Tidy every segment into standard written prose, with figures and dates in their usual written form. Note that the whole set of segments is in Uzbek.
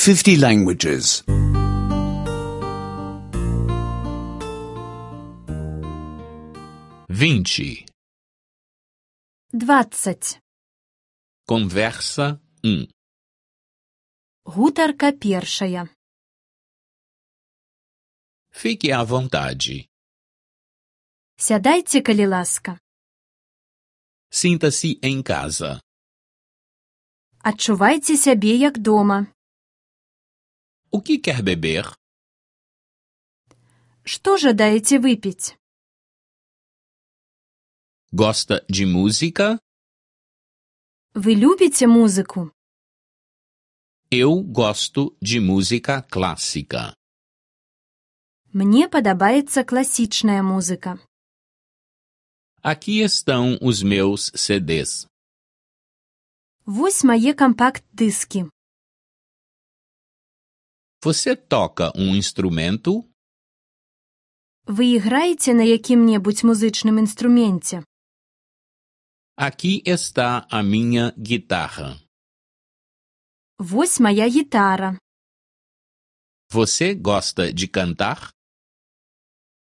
50 languages. 20. 20. Conversa 1. Гутарка першая. Fique à vontade. Сядайце, калі ласка. Sinta-se em casa. Адчувайце сябе як дома. O que quer beber? Што жадаеце выпіць? Gosta de música? Вы любіце музыку? Eu gosto de música clássica. Мне падабаецца класічная музыка. Aqui estão os meus CDs. Вось мае кампакт-дыскі. Você toca um instrumento? Вы іграеце на якім-небудзь музычным інструменце? Aqui está a minha guitarra. Вось мая гітара. Você gosta de cantar?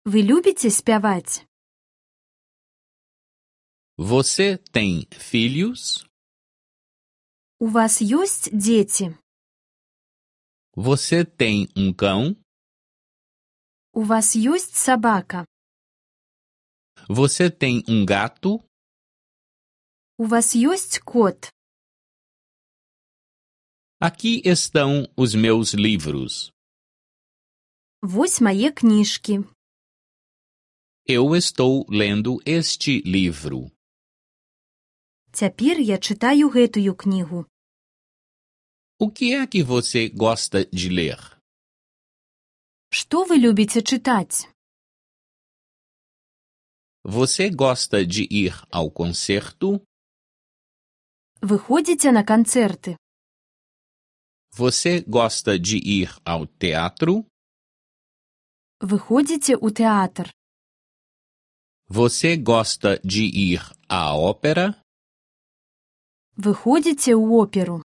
Вы любіце спяваць? Você tem filhos? У вас ёсць дзеці? Você tem um cão? У вас ёсць сабака? Você tem um gato? У вас ёсць кот? Aqui estão os meus livros. Вось мае кніжкі. Eu estou lendo este livro. Цяпер я чытаю гэтую кнігу. O que é que você gosta de ler? Што вы любіце чытаць? Você gosta de ir ao concerto? Вы ходзіце на канцэрты? Você gosta de ir ao teatro? Вы ходзіце ў тэатр? Você gosta de ir à ópera? Вы ходзіце ў оперу?